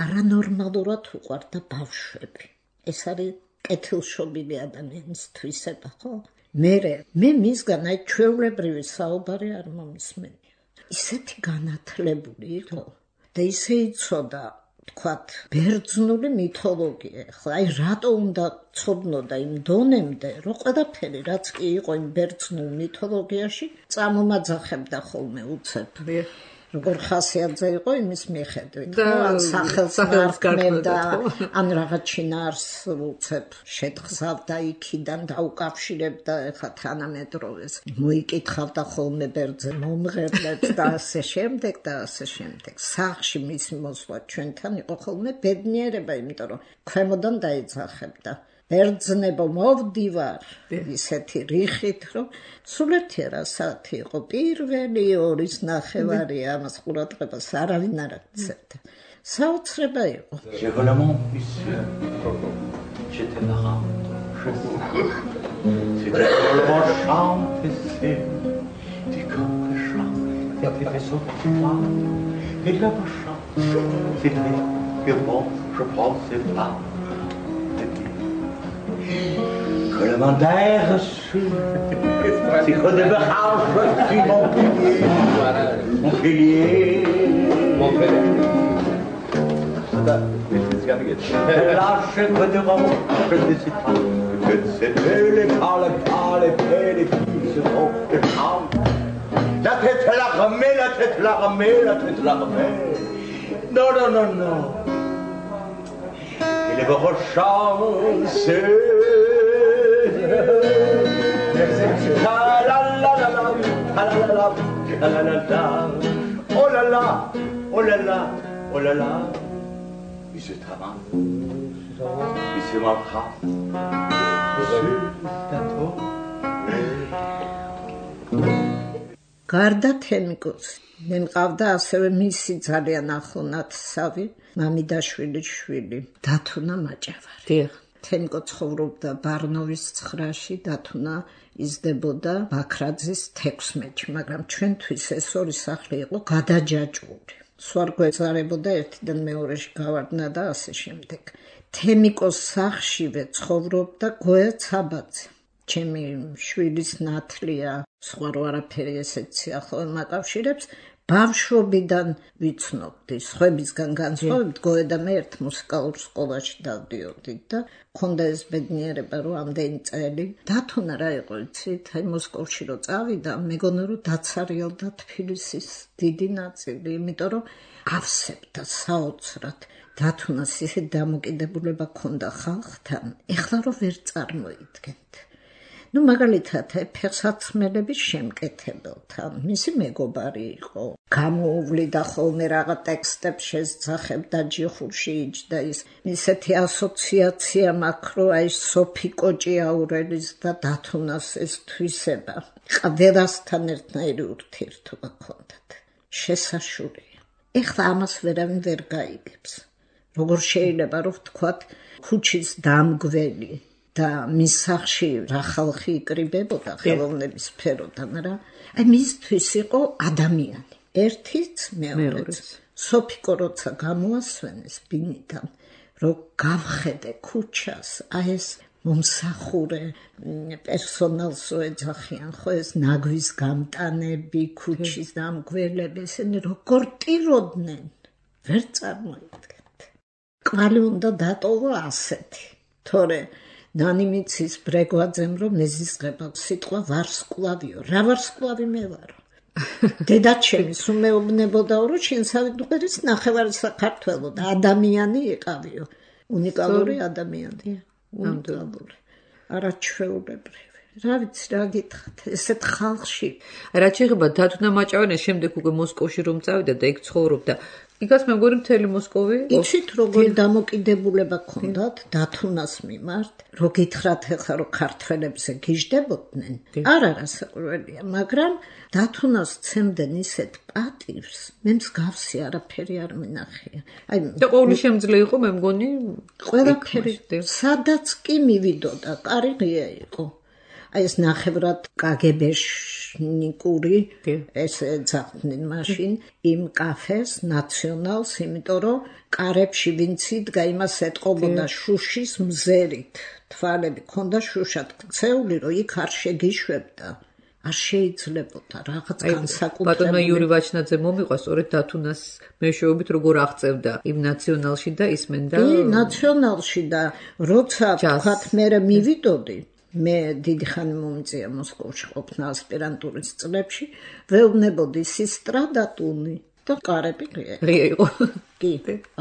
არანორმალურად უყვარდა ბავშვები. ეს არის კეთილშობილი ადამიანის თვისება, ხო? მერე, მე მისგან აი ჩვეულებრივი საუბარი არ მომისმენია. ისეთი განათლებული იყო და ისე იცოდა, თქვათ, ბერძნული მითოლოგია. ხლა აი რატო უნდა ცოდნოდა იმ დონემდე, რომ ყველაფერი რაც კი იყო იმ ბერძნულ მითოლოგიაში, წამომაძახებდა ხოლმე უცებ. როგორ ხასიათზე იყო იმის მიხედვით, ხო, ან სახელს გარკვევდა, ან რაღაც შინაარს უცებ შეთხზავდა იქიდან და უკავშირებდა ეხლა თანამედროვეს. მოიკითხავდა ხოლმე ბერძენ მომღერლებს და ასე შემდეგ და ასე შემდეგ. სახლში მისი მოსვლა ჩვენთან იყო ხოლმე ბედნიერება, იმიტომ რომ ქვემოდან დაეძახებდა. ბერძნებო მოვდივარ ისეთი რიხით, რომ სულ ერთი საათი იყო, პირველი ორის ნახევარია, ამას ყურადღებას არავინ არ აქცევდა. საოცრება იყო. Que le mandat reçu, c'est que de Behar, je suis mon pilier, mon pilier, mon pilier. Lâche que de Rome, je ne sais pas, que de ces belles pas, les pas, les belles, les filles se font des femmes. La tête la remet, la tête la remet, la tête la remet. Non, non, non, non. Et les beaux chances. La la la la la la la la la la la. Oh là là, oh là là, oh là là. Il se travaille, il se maltraite, il se tatoue. გარდა თემიკოს, მე მყავდა ასევე მისი ძალიან ახლო ნათესავი, მამიდაშვილის შვილი, დათუნა მაჭავარი. დიახ. თემიკო ცხოვრობდა ბარნოვის ცხრაში, დათუნა იზრდებოდა ბაქრაძის თექვსმეტში, მაგრამ ჩვენთვის ეს ორი სახლი იყო გადაჯაჭვური. სულ არ გვეწარებოდა ერთიდან მეორეში გავარდნა და ასე შემდეგ. თემიკოს სახლშივე ცხოვრობდა გოია ცაბაძე. ჩემი შვილის ნათლია, სხვა რო არაფერი ესეც სიახლოვე მაკავშირებს, ბავშვობიდან ვიცნობდი, სხვებისგან განსხვავებით, გოია და მე ერთ მუსიკალურ სკოლაში დავდიოდით და მქონდა ეს ბედნიერება, რომ ამდენი წელი დათუნა რა იყო, იცით, აი მოსკოვში რო წავიდა, მეგონა რომ დაცარიელდა თბილისის დიდი ნაწილი, იმიტომ რომ ავსებდა საოცრად. დათუნას ისე დამოკიდებულება ჰქონდა ხალხთან, ეხლა რომ ვერ წარმოიდგენთ. ნუ მაგალითად ფეხსაცმელების შემკეთებელთან მისი მეგობარი იყო. გამოუვლიდა ხოლმე რაღა ტექსტებს შესძახებდა ჯიხურში იჯდა ის. ისეთი ასოციაცია მაქვს, რომ აი სოფი კოჭიაურელის და დათუნას ეს თვისება ყველასთან ერთნაირი ურთიერთობა ჰქონდათ. შესაშურია. ეხლა ამას ვერავინ ვერ გაიგებს. როგორ შეიძლება რომ ვთქვათ ქუჩის დამგველი და მის სახლში რა ხალხი იკრიბებოდა ხელოვნების სფეროდან რა. აი მისთვის იყო ადამიანი. ერთიც მეორეც. სოფიკო როცა გამოასვენეს ბინიდან, რომ გავხედე ქუჩას, აი ეს მომსახურე პერსონალს რო ეძახიან, ხო ეს ნაგვის გამტანები, ქუჩის დამგველები, ესენი როგორ ტიროდნენ, ვერ წარმოიდგენთ. კვალი უნდა დატოვა ასეთი, თორე ნანიმიცის ბრეგვაძემ რომ მეზისღება სიტყვა ვარსკვლავიო, რა ვარსკვლავი მე ვარო. დედაჩემი სულ მეუბნებოდა, რომ შენსავი დღერის ნახევარი საქართველო და ადამიანი იყავიო. უნიკალური ადამიანი, უნიკალური, არაჩვეულებრივი. რა ვიცი, რა გითხრათ, ესეთ ხალხში. რაც შეეხება დათუნა მაჭავანეს, შემდეგ უკვე მოსკოვში რომ წავიდა და იქ ცხოვრობდა. იქაც მე მგონი მთელი მოსკოვი. იცით როგორი დამოკიდებულება ჰქონდათ დათუნას მიმართ, რო გითხრათ ახლა რომ ქართველებზე გიждდებოდნენ. არ არა საკვირველია, მაგრამ დათუნას ცემდნენ ისეთ პატივს, მე მსგავსი არაფერი არ მინახია. აი და ყოველი შემძლე იყო, მე მგონი, ყველაფერი. სადაც კი მივიდოდა, კარგია იყო. აი ეს ნახევრად კაგებეშნიკური ეს ეძახდნენ მაშინ იმ კაფეს ნაციონალს, იმიტომ რომ კარებში ვინც იდგა იმას ეტყობოდა შუშის მზერით. თვალები ქონდა შუშად ქცეული, რომ იქ არ შეგიშვებდა. არ შეიძლებოდა რაღაც განსაკუთრებული. ბატონმა იური ვაჩნაძე მომიყვა სწორედ დათუნას მეშვეობით როგორ აღწევდა იმ ნაციონალში და ისმენდა. კი, ნაციონალში და როცა თქვათ მე მივიდოდი მე დიდი ხანი მომიწია მოსკოვში ყოფნა ასპირანტურის წლებში, ვეუბნებოდი სისტრა დათუნი და კარები ღია იყო. კი,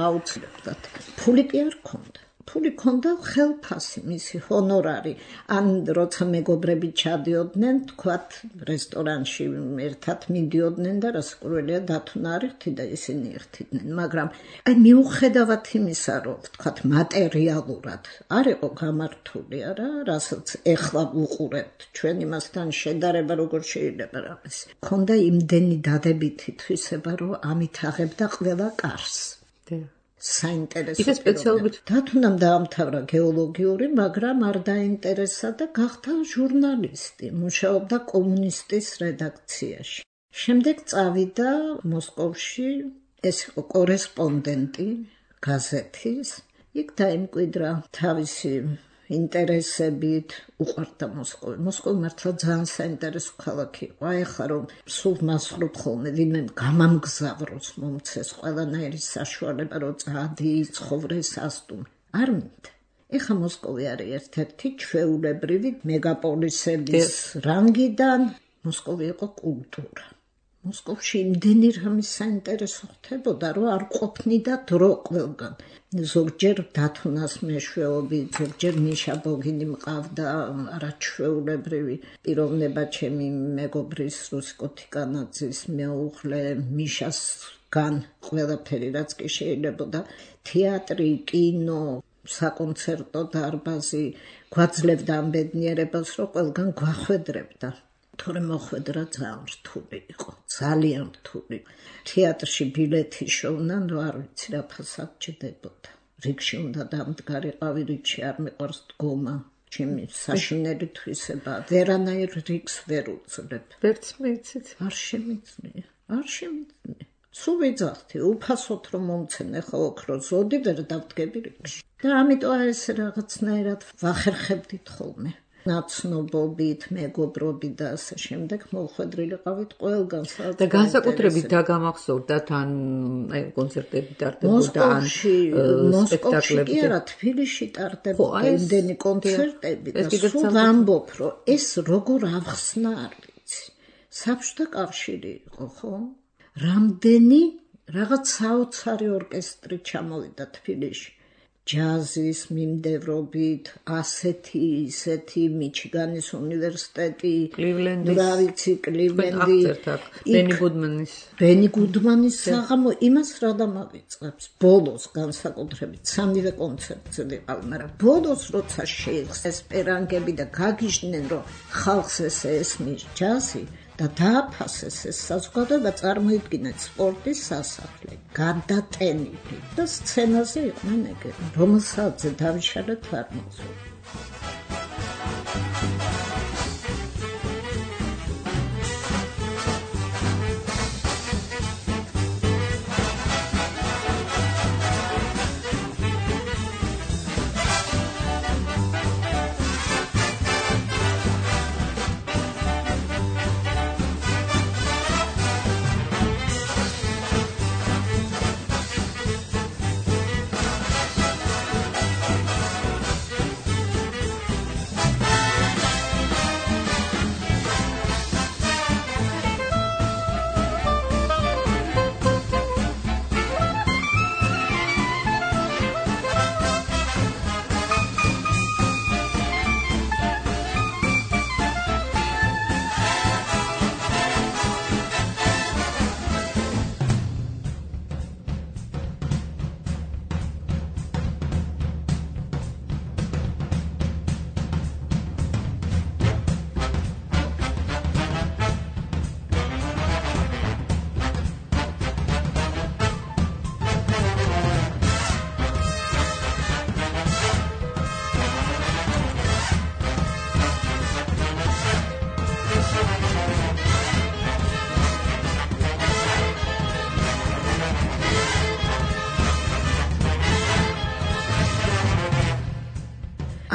აუცილებლად. ფული კი არ ქონდა. ფული ქონდა ხელფასი, მისი ჰონორარი. ან როცა მეგობრები ჩადიოდნენ, თქვათ რესტორანში ერთად მიდიოდნენ და რასაკვირველია დათუნა არ იხდიდა, ისინი იხდიდნენ, მაგრამ აი მიუხედავად იმისა, რომ თქვათ მატერიალურად არ იყო გამართული, არა, რასაც ეხლა ვუყურებთ, ჩვენ იმასთან შედარება როგორ შეიძლება რაღაც. ქონდა იმდენი დადებითი თვისება, რომ ამით აღებდა ყველა კარს. საინტერესო. ისე სპეციალობით დათუნამ დაამთავრა გეოლოგიური, მაგრამ არ დაინტერესა და გახდა ჟურნალისტი, მუშაობდა კომუნისტის რედაქციაში. შემდეგ წავიდა მოსკოვში, ეს იყო კორესპონდენტი გაზეთის, იქ დაიმკვიდრა თავისი ინტერესებით, უყვარდა მოსკოვი. მოსკოვი მართლა ძალიან საინტერესო ქალაქი იყო. აი ახლა რომ სულ მასხლობ ხოლმე ვინმე გამამგზავროს მომცეს ყველანაირი საშუალება, რომ წადი, ცხოვრეს, ასტუმ. არ მინდა. ეხლა მოსკოვი არის ერთ-ერთი ჩვეულებრივი მეგაპოლისების რანგიდან. მოსკოვი იყო კულტურა. მოსკოვში იმდენი რამე საინტერესო ხდებოდა, რომ არ ყოფნიდა დრო ყველგან. ზოგჯერ დათუნას მეშვეობით, ზოგჯერ მიშა ბოგინი მყავდა, არაჩვეულებრივი პიროვნება ჩემი მეგობრის რუსიკო თიკანაძის მეუღლე მიშასგან ყველაფერი რაც კი შეიძლებოდა, თეატრი, კინო, საკონცერტო დარბაზი, გვაძლევდა ამ ბედნიერებას, რომ ყველგან გვახვედრებდა. თორემ მოხვედრა ძალიან რთული იყო, ძალიან რთული. თეატრში ბილეთი შოვნან, რომ არ ვიცი რა ფასად ჩდებოდა. რიგში უნდა დამდგარიყავი, რიგში არ მიყვარს დგომა. ჩემი საშინელი თვისება, ვერანაირ რიგს ვერ უძლებ. ვერც მეიცით. არ შემიძლია, არ შემიძლია. სულ ვიძახდი, უფასოდ რომ მომცენ, ახლა ოქრო ზოდი ვერ დავდგები რიგში. და ამიტომ ეს რაღაცნაირად ვახერხებდით ხოლმე. ნაცნობობით, მეგობრობით და ასე შემდეგ მოხვედრილიყავით ყველგან. და განსაკუთრებით დაგამახსოვრდა თან აი კონცერტები ტარდებოდა ან სპექტაკლები. კი არა, თბილისში ტარდებოდა იმდენი კონცერტები და სულ ვამბობ, რომ ეს როგორ აღხსნა არ ვიცი. საბჭოთა კავშირი იყო, ხო? რამდენი რაღაც საოცარი ორკესტრი ჩამოვიდა თბილისში. ჯაზის მიმდევრობით, ასეთი, ისეთი, მიჩიგანის უნივერსიტეტი, კლივლენდის, რა ვიცი, კლივლენდი, ბენი გუდმანის. ბენი გუდმანის საღამო იმას რა დამავიწყებს. ბოლოს განსაკუთრებით სამივე კონცერტზე ვიყავ, მაგრამ ბოლოს როცა შეიხს ესპერანგები და გაგიჟდნენ, რომ ხალხს ესე ესმის ჯაზი და დააფასეს ეს საზოგადოება, წარმოიდგინეთ სპორტის სასახლე, გადატენილი და სცენაზე იყვნენ ეგრე, რომელსაც დავიშალეთ არ მოხსოვს.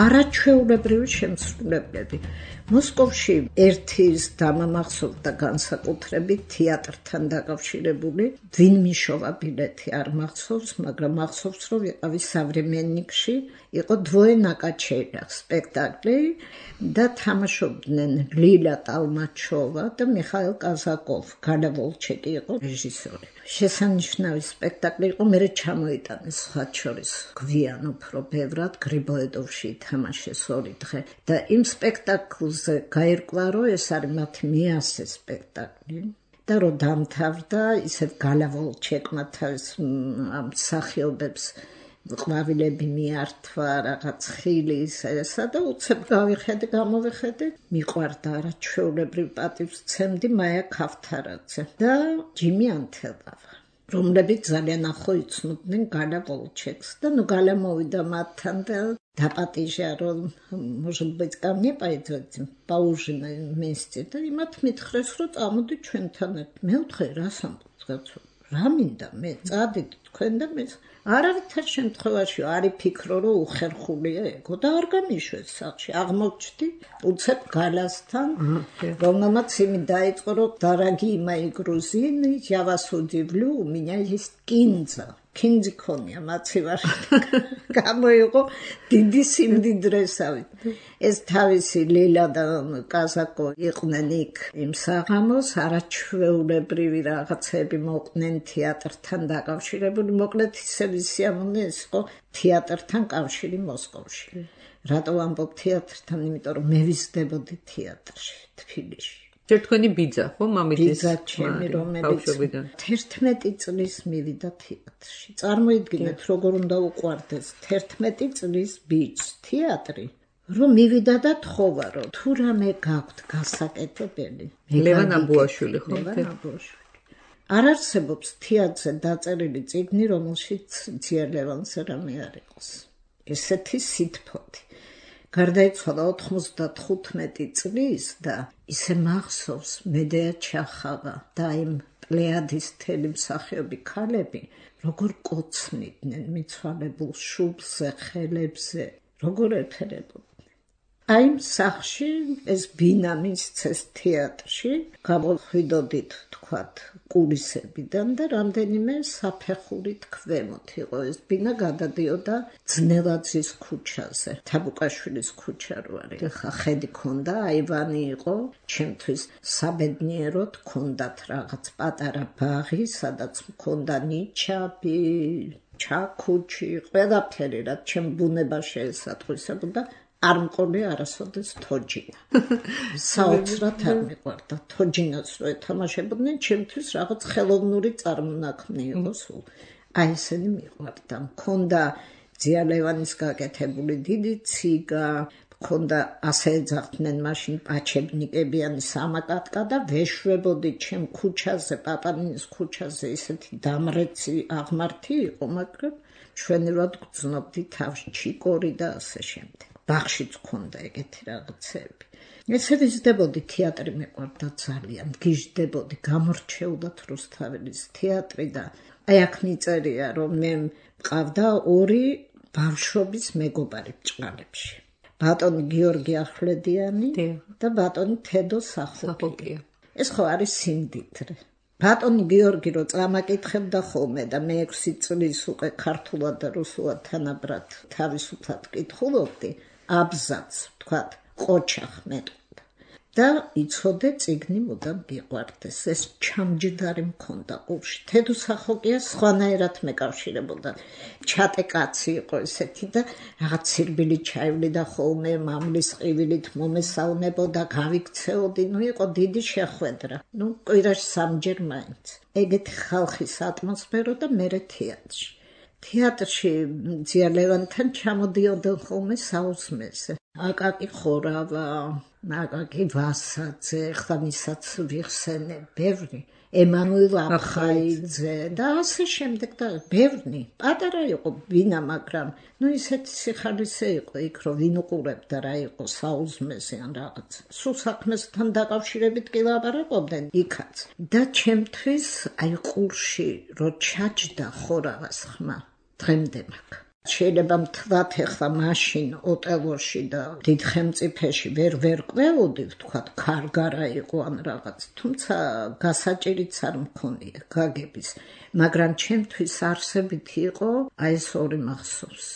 არაჩვეულებრივი შემსრულებლები. მოსკოვში ერთის დამამახსოვრდა განსაკუთრებით თეატრთან დაკავშირებული, ვინ მიშოვა ბილეთი არ მახსოვს, მაგრამ მახსოვს, რომ ვიყავი სავრემენნიკში, იყო დვოე ნაკაჩელიახ სპექტაკლი და თამაშობდნენ ლილა ტალმაჩოვა და მიხაილ კაზაკოვ, გალა ვოლჩეკი იყო რეჟისორი. შესანიშნავი სპექტაკლი იყო, მერე ჩამოიტანეს სხვათა შორის გვიან უფრო ბევრად, გრიბოედოვში ითამაშეს ორი დღე და იმ სპექტაკლზე გაირკვა, რომ ეს არის მათი მეასე სპექტაკლი და რომ დამთავრდა, ისევ გალა ვოლჩეკმა თავის ამ მსახიობებს ყვავილები მიართვა, რაღაც ხილი ესა და უცებ გავიხედე, გამოვიხედე, მიყვარდა არაჩვეულებრივ პატივს ცემდი მაია ქავთარაძე და ჯიმი ანთელავა, რომლებიც ძალიან ახლო იცნობდნენ გალა ვოლჩეკს და ნუ გალა მოვიდა მათთან და დაპატიჟა, რომ может быть ко мне пойдете поужинать вместе და იმათ მითხრეს, რომ წამოდი ჩვენთან ერთად. მე ვთხე, რას ამბობთ? რა მინდა მე წადით თქვენ და მე არავითარ შემთხვევაში არ იფიქრო, რომ უხერხულია ეგო და არ გამიშვეს სახში. აღმოჩნდი უცებ გალასთან, რომელმაც იმი დაიწყო, რომ дорогие мои грузины, я вас удивлю, у меня есть кинза. кинзი ქონია მაცივარ. გამოიყო დიდი სიმდიდრესავით. ეს თავისი ლილა და კაზაკო იყვნენ იქ იმ საღამოს, არაჩვეულებრივი რაღაცები მოყვნენ თეატრთან დაკავშირებული, მოკლედ ისევ სიამოვნე ეს იყო თეატრთან კავშირი მოსკოვში. რატო ვამბობ თეატრთან? იმიტომ რომ მე ვიზრდებოდი თეატრში, თბილისში. ჯერ თქვენი ბიძა, ხო, მამის ბიძა ჩემი, რომელიც თერთმეტი წლის მივიდა თეატრში. წარმოიდგინეთ, როგორ უნდა უყვარდეს თერთმეტი წლის ბიჭს თეატრი, რომ მივიდა და თხოვა, რომ თუ რამე გაქვთ გასაკეთებელი. ლევან აბუაშვილი, ხო? ლევან აბუაშვილი. არ არსებობს თეატრზე დაწერილი წიგნი, რომელშიც ძია ლევანზე რამე არ იყოს. ესეთი სითფოთი. გარდაიცვალა ოთხმოცდათხუთმეტი წლის და ისე მახსოვს მედეა ჩახავა და იმ პლეადის თელი მსახიობი ქალები, როგორ კოცნიდნენ მიცვალებულ შუბლზე, ხელებზე, როგორ ეფერებოდნენ. აი იმ სახლში ეს ბინა მისცეს თეატრში, გამოხვიდოდით თქვათ კულისებიდან და რამდენიმე საფეხურით ქვემოთ იყო ეს ბინა, გადადიოდა ძნელაძის ქუჩაზე, თაბუკაშვილის ქუჩა რო არის. ხა ხედი ქონდა, აივანი იყო, ჩემთვის საბედნიეროდ ქონდათ რაღაც პატარა ბაღი, სადაც მქონდა ნიჩაბი, ჩაქუჩი, ყველაფერი, რაც ჩემ ბუნება შეესატყვისებოდა. არ მყოლი არასოდეს თოჯინა. საოცრად არ მიყვარდა თოჯინას რო ეთამაშებოდნენ, ჩემთვის რაღაც ხელოვნური წარმონაქმნი იყო სულ. აი ესენი მიყვარდა. მქონდა ძია ლევანის გაკეთებული დიდი ციგა, მქონდა ასე ეძახდნენ მაშინ პაჩებნიკებიანი სამაკატკა და ვეშვებოდი ჩემ ქუჩაზე, პაპანინის ქუჩაზე, ისეთი დამრეცი აღმართი იყო, მაგრამ ჩვენურად გრძნობდი თავს ჩიკორი და ასე შემდეგ. ბაღშიც ქონდა ეგეთი რაღაცები. ესე ვიზრდებოდი, თეატრი მეყვარდა ძალიან, გიჟდებოდი, გამორჩეუდათ რუსთაველის თეატრი და აი აქ მიწერია, რომ მე მყავდა ორი ბავშვობის მეგობარი ბჭყალებში. ბატონი გიორგი ახვლედიანი და ბატონი თედო სახოკია. ეს ხო არის სიმდიდრე. ბატონი გიორგი რო წამაკითხებდა ხოლმე და მე ექვსი წლის უკვე ქართულად და რუსულად თანაბრად თავისუფლად კითხულობდი, აბზაც, თქვათ, ყოჩახ მეტყოდა. და იცოდე წიგნი მუდამ გიყვარდეს. ეს ჩამჯდარი მქონდა ყურში. თედო სახოკია სხვანაირად მეკავშირებოდა. ჩატე კაცი იყო ესეთი და რაღაც სირბილი ჩაივლიდა ხოლმე, მამლის ყივილით მომესალმებოდა, გავიქცეოდი, ნუ იყო დიდი შეხვედრა. ნუ კვირაში სამჯერ მაინც. ეგეთი ხალხის ატმოსფერო და მერე თეატრში. თეატრში ძია ლევანთან ჩამოდიოდნენ ხოლმე საუზმეზე. აკაკი ხორავა, აკაკი ვასაძე, ხლა მისაც ვიხსენე, ბევრი, ემანუელ აფხაიძე და ასე შემდეგ და ბევრი. პატარა იყო ბინა, მაგრამ ნუ ისეთი სიხარისე იყო იქ, რომ ვინ უყურებდა რა იყო საუზმეზე ან რაღაც. სულ საქმესთან დაკავშირებით კი ლაპარაკობდნენ იქაც. და ჩემთვის აი ყურში რო ჩაჯდა ხორავას ხმა, დღემდე მაქვს. შეიძლება მთლად ეხლა მაშინ ოტელოში და დიდ ხელმწიფეში ვერ ვერ ყვეოდი, ვთქვათ, ქარგარა იყო ან რაღაც, თუმცა გასაჭირიც არ მქონია გაგების, მაგრამ ჩემთვის არსებით იყო აი ეს ორი მახსოვს.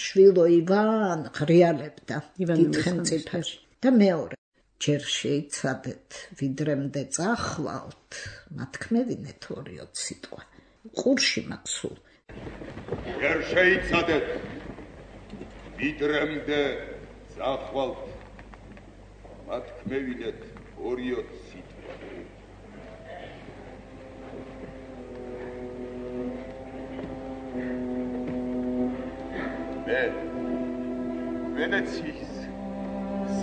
შვილო ივან ღრიალებდა დიდ ხელმწიფეში და მეორე ჯერ შეიცადეთ, ვიდრემდე წახვალთ, მათქმევინეთ ორიოთ სიტყვა. ყურში მაქვს სულ. ჯერ შეიცადეთ, ვიდრემდე წახვალთ, მათქმევინეთ ორიოთ სიტყვა. მე ვენეციის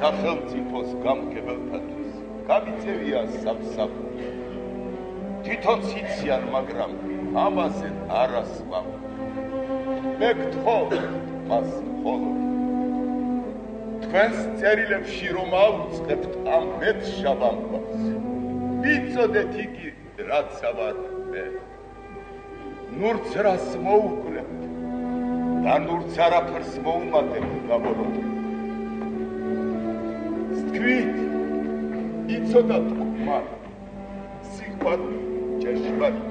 სახელმწიფოს გამგებელთათვის გამიწევია სამსახური. თვითონ იციან, მაგრამ ამაზე არასვამ. მე გთხოვ მას მხოლოდ თქვენს წერილებში რომ აუწყებთ ამ მეტშავ ამბავს, ვიცოდეთ იგი რაც ავარ მე. ნურც რას მოუკლებ და ნურც არაფერს მოუმატებ გამოროთ. სთქვით, იცოდათ მან სიყვარული ჭეშმარიტ.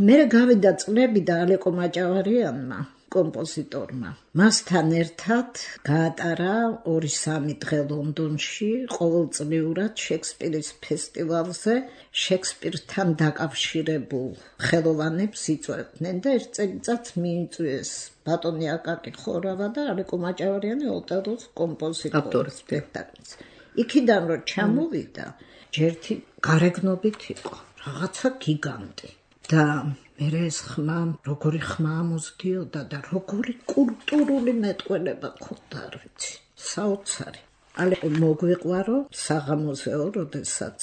მე გავიდა წლები და ალეკო მაჭავარიანმა, კომპოზიტორმა, მასთან ერთად გაატარა ორი სამი დღე ლონდონში ყოველწლიურად შექსპირის ფესტივალზე შექსპირთან დაკავშირებულ ხელოვანებს იწვევდნენ და ერთ წელიწადს მიიწვიეს ბატონი აკაკი ხორავა და ალეკო მაჭავარიანი ოტელოს კომპოზიტორი სპექტაკლის. იქიდან რომ ჩამოვიდა, ჯერთი გარეგნობით იყო, რაღაცა გიგანტი. და მე ეს ხმა, როგორი ხმა ამოსდიოდა და როგორი კულტურული მეტყველება ქონდა, არ ვიცი, საოცარი. ალეკო მოგვიყვარო საღამოზეო, როდესაც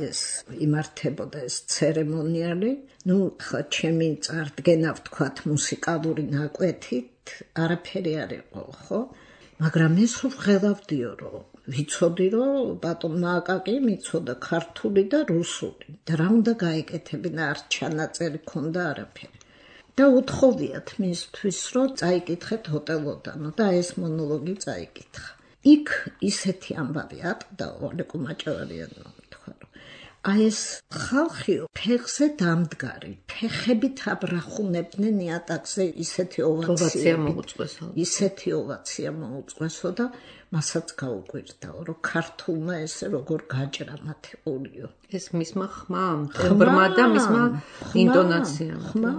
ეს იმართებოდა ეს ცერემონიალი, ნუ ხა ჩემი წარდგენა ვთქვათ მუსიკალური ნაკვეთით არაფერი არ იყო, ხო? მაგრამ ეს ვღელავდიო, რომ ვიცოდი, რომ ბატონმა აკაკი მიცოდა ქართული და რუსული და რა უნდა გაეკეთებინა, არ ჩანაწერი ქონდა არაფერი. და უთხოვიათ მისთვის, რომ წაიკითხეთ ოტელოდანო და ეს მონოლოგი წაიკითხა. იქ ისეთი ამბავი ატყდა ალეკო მაჭავარიანმა, თქვა, რომ აი ეს ხალხი ფეხზე დამდგარი, ფეხებით აბრახუნებდნენ იატაკზე, ისეთი ოვაცია მოუწყვეს. ისეთი ოვაცია მოუწყვესო და მასაც გაუკვირდაო, რომ ქართულმა ესე როგორ გაჭრა მათი ოლიო. ეს მისმა ხმამ, ტემბრმა და მისმა ინტონაციამ. ხმა,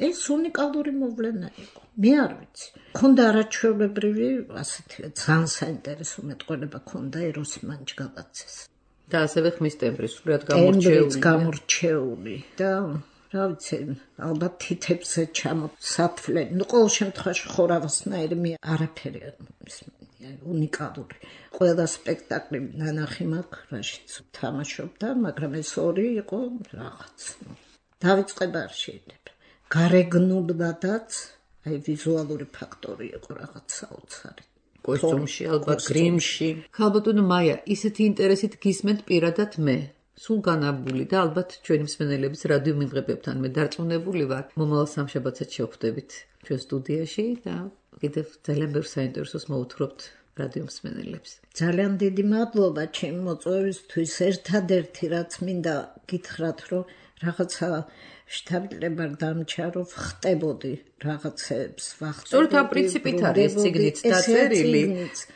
ეს უნიკალური მოვლენა იყო. მე არ ვიცი. ქონდა არაჩვეულებრივი, ასეთი ძალიან საინტერესო მეტყველება ქონდა ეროსი მანჯგალაძეს. და ასევე ხმის ტემბრი სულად გამორჩეული. გამორჩეული და რა ვიცი, ალბათ თითებზე ჩამოსათვლე. ნუ ყოველ შემთხვევაში ხორავასნაირი მე არაფერი არ მომისმენია, უნიკალური. ყველა სპექტაკლი ნანახი მაქვს, რაშიც თამაშობდა, მაგრამ ეს ორი იყო რაღაც. დავიწყება არ შეიძლება. გარეგნულადაც, აი ვიზუალური ფაქტორი იყო რაღაც საოცარი. კოსტუმში, ალბათ გრიმში. ხალბატონო მაია, ისეთი ინტერესით გისმენთ პირადად მე. სულ განაბული და ალბათ ჩვენი მსმენელების რადიო მიმღებებთან მე დარწმუნებული ვარ. მომავალ სამშაბათსაც შევხვდებით ჩვენ სტუდიაში და კიდევ ძალიან ბევრ საინტერესოს მოუთხრობთ რადიო მსმენელებს. ძალიან დიდი მადლობა ჩემი მოწვევისთვის. ერთადერთი რაც მინდა გითხრათ, რომ რაღაცა შთაბილება დამჭა, რომ ხტებოდი რაღაცებს ვახტებოდი. სწორედ ამ პრინციპით არის ციგნიც დაწერილი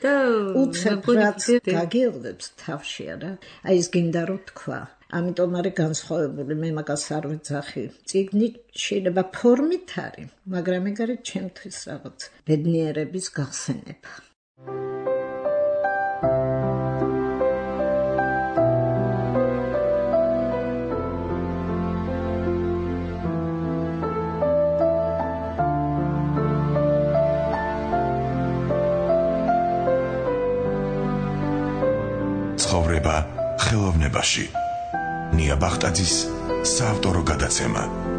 და უცებ რაც გაგიელებს თავში არა. აი ეს გინდა რომ თქვა. ამიტომ არის განსხვავებული, მე მაგას არ ვეძახი. ციგნი შეიძლება ფორმით არის, მაგრამ ეგ არის ჩემთვის რაღაც ბედნიერების გახსენება. ცხოვრება ხელოვნებაში. ნია ბახტაძის საავტორო გადაცემა.